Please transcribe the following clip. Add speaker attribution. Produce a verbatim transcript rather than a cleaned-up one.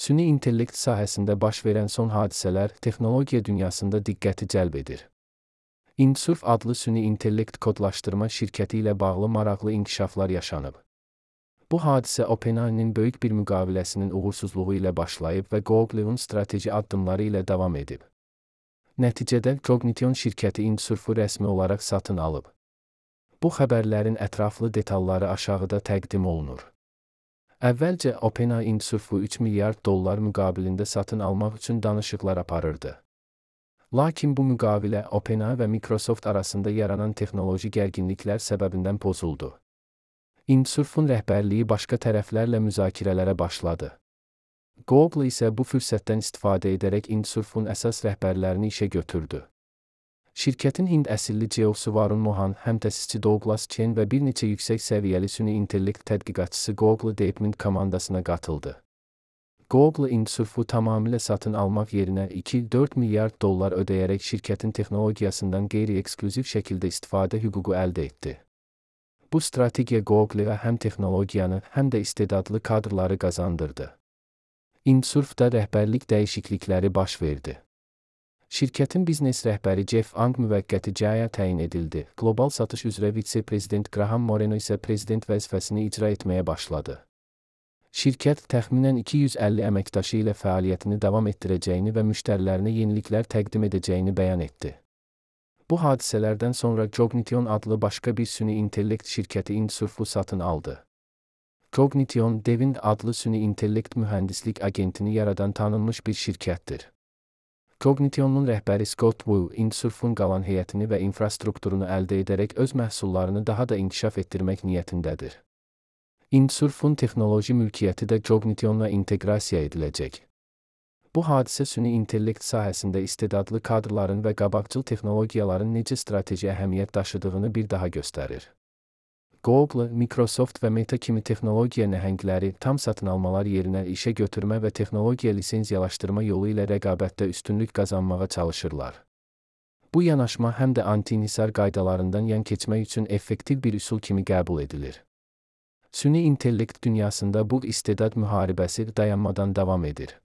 Speaker 1: Süni intellekt sahəsində baş verən son hadisələr texnologiya dünyasında diqqəti cəlb edir. Insurf adlı süni intellekt kodlaşdırma şirkəti ilə bağlı maraqlı inkişaflar yaşanıb. Bu hadisə OpenAI-nin böyük bir müqaviləsinin uğursuzluğu ilə başlayıb və Google'un strateji addımları ilə davam edib. Nəticədə Cognition şirkəti Insurfu rəsmi olaraq satın alıb. Bu xəbərlərin ətraflı detalları aşağıda təqdim olunur. Əvvəlcə OpenAI Insurfu üç milyard dollar müqabilində satın almaq üçün danışıqlar aparırdı. Lakin bu müqavilə OpenAI və Microsoft arasında yaranan texnoloji gərginliklər səbəbindən pozuldu. Insurfun rəhbərliyi başqa tərəflərlə müzakirələrə başladı. Google isə bu fürsətdən istifadə edərək Insurfun əsas rəhbərlərini işə götürdü. Şirkətin Hind əsilli C E O-su Varun Mohan, həmtəsisçi Douglas Chen və bir neçə yüksək səviyyəli süni intellekt tədqiqatçısı Google Deepmind komandasına qatıldı. Google Insurfu tamamilə satın almaq yerinə iki dörd milyard dollar ödəyərək şirkətin texnologiyasından qeyri-eksklüziv şəkildə istifadə hüququ əldə etdi. Bu strategiya Google-a həm texnologiyanı, həm də istedadlı kadrları qazandırdı. Insurfda rəhbərlik dəyişiklikləri baş verdi. Şirkətin biznes rəhbəri Jeff Ang müvəqqəti cəyə təyin edildi. Qlobal satış üzrə vitse-prezident Graham Moreno isə prezident vəzifəsini icra etməyə başladı. Şirkət təxminən iki yüz əlli əməkdaşı ilə fəaliyyətini davam etdirəcəyini və müştərilərinə yeniliklər təqdim edəcəyini bəyan etdi. Bu hadisələrdən sonra Cognition adlı başqa bir süni intellekt şirkəti Insurfu satın aldı. Cognition, Devind adlı süni intellekt mühəndislik agentini yaradan tanınmış bir şirkətdir. Cognition'un rəhbəri Scott Wu, Insurfun qalan heyətini və infrastrukturunu əldə edərək öz məhsullarını daha da inkişaf etdirmək niyyətindədir. Insurfun texnoloji mülkiyyəti də Cognition'la inteqrasiya ediləcək. Bu hadisə süni intellekt sahəsində istedadlı kadrların və qabaqcıl texnologiyaların necə strateji əhəmiyyət daşıdığını bir daha göstərir. Google, Microsoft və Meta kimi texnologiya nəhəngləri tam satın almalar yerinə işə götürmə və texnologiya lisenziyalaşdırma yolu ilə rəqabətdə üstünlük qazanmağa çalışırlar. Bu yanaşma həm də anti-inhisar qaydalarından yan keçmək üçün effektiv bir üsul kimi qəbul edilir. Süni intellekt dünyasında bu istedad müharibəsi dayanmadan davam edir.